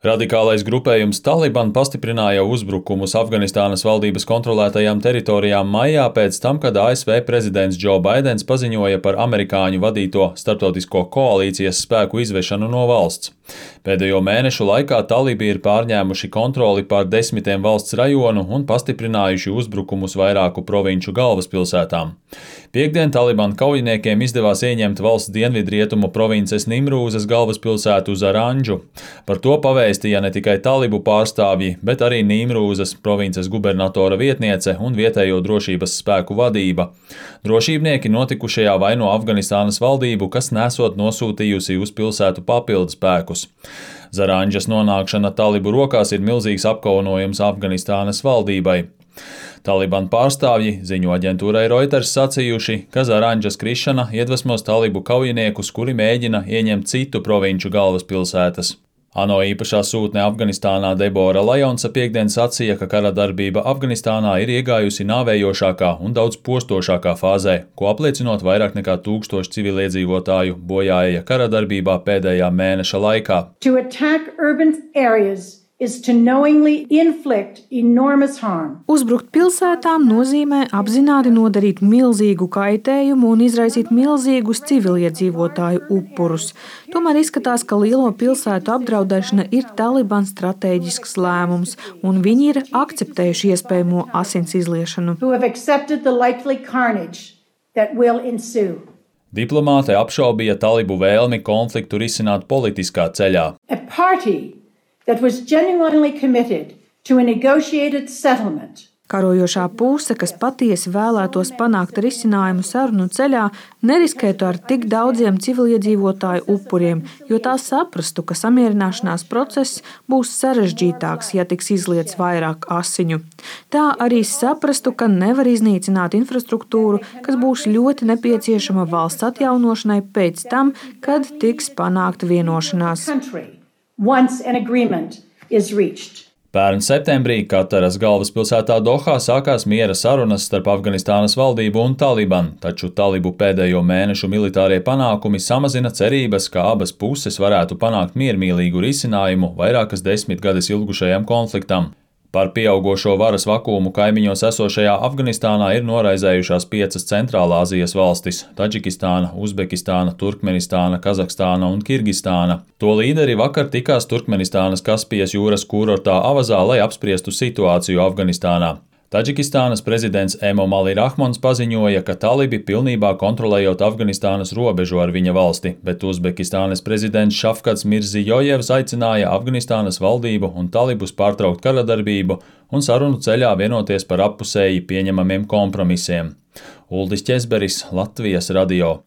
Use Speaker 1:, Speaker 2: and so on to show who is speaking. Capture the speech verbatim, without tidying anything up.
Speaker 1: Radikālais grupējums Taliban pastiprināja uzbrukumus Afganistānas valdības kontrolētajām teritorijām maijā pēc tam, kad A S V prezidents Džo Baidens paziņoja par amerikāņu vadīto starptautisko koalīcijas spēku izvešanu no valsts. Pēdējo mēnešu laikā talibi ir pārņēmuši kontroli pār desmitiem valsts rajonu un pastiprinājuši uzbrukumus vairāku provinču galvaspilsētām. Piektdien Taliban kaujiniekiem izdevās ieņemt valsts dienvidrietumu provinces Nimrūzas galvaspilsētu Zarandžu. Par to pavēstīja ne tikai talibu pārstāvji, bet arī Nimrūzas provinces gubernatora vietniece un vietējo drošības spēku vadība. Drošībnieki notikušajā vaino Afganistānas valdību, kas nesot nosūtījusi uz pilsētu papildu spēkus. Zarandžas nonākšana talibu rokās ir milzīgs apkaunojums Afganistānas valdībai. Taliban pārstāvji ziņo aģentūrai Reuters sacījuši, ka Zarandžas krišana iedvesmos talibu kaujiniekus, kuri mēģina ieņemt citu provinču galvaspilsētas. ANO īpašā sūtne Afganistānā Debora Lajonsa piektdien sacīja, ka kara darbība Afganistānā ir iegājusi nāvējošākā un daudz postošākā fāzē, ko apliecinot vairāk nekā tūkstoši civiliedzīvotāju bojāja kara darbībā pēdējā mēneša laikā.
Speaker 2: To attack urban areas is to knowingly inflict enormous harm.
Speaker 3: Uzbrukt pilsētām nozīmē apzināti nodarīt milzīgu kaitējumu un izraisīt milzīgus civiliedzīvotāju upurus. Tomēr izskatās, ka lielo pilsētu apdraudēšana ir Taliban stratēģisks lēmums, un viņi ir akceptējuši iespējamo asins izliešanu.
Speaker 2: Who have accepted the likely carnage that will ensue.
Speaker 1: Diplomāte apšaubīja talibu vēlmi konfliktu risināt politiskā ceļā.
Speaker 2: A party that was genuinely committed to a negotiated settlement.
Speaker 3: Karojošā puse, kas patiesi vēlētos panākt risinājumu sarunu ceļā, neriskētu ar tik daudziem civiliedzīvotāju upuriem, jo tā saprastu, ka samierināšanās process būs sarežģītāks, ja tiks izliets vairāk asiņu. Tā arī saprastu, ka nevar iznīcināt infrastruktūru, kas būs ļoti nepieciešama valsts atjaunošanai pēc tam, kad tiks panākta vienošanās.
Speaker 2: Once an agreement is reached.
Speaker 1: Pērn septembrī Kataras galvaspilsētā Dohā sākās miera sarunas starp Afganistānas valdību un Taliban, taču talibu pēdējo mēnešu militārie panākumi samazina cerības, ka abas puses varētu panākt miermīlīgu risinājumu vairākas desmitgades ilgušajam konfliktam. Par pieaugošo varas vakumu kaimiņos esošajā Afganistānā ir noraizējušās piecas Centrālāzijas valstis – Taģikistāna, Uzbekistāna, Turkmenistāna, Kazahstāna un Kirgistāna. To līderi vakar tikās Turkmenistānas Kaspijas jūras kūrortā Avazā, lai apspriestu situāciju Afganistānā. Taģikistānas prezidents Emomali Rahmons paziņoja, ka talibi pilnībā kontrolējot Afganistānas robežu ar viņa valsti, bet Uzbekistānas prezidents Šafkats Mirzijojevs aicināja Afganistānas valdību un talibus pārtraukt karadarbību un sarunu ceļā vienoties par appusēji pieņemamiem kompromisiem. Uldis Ķezberis, Latvijas radio.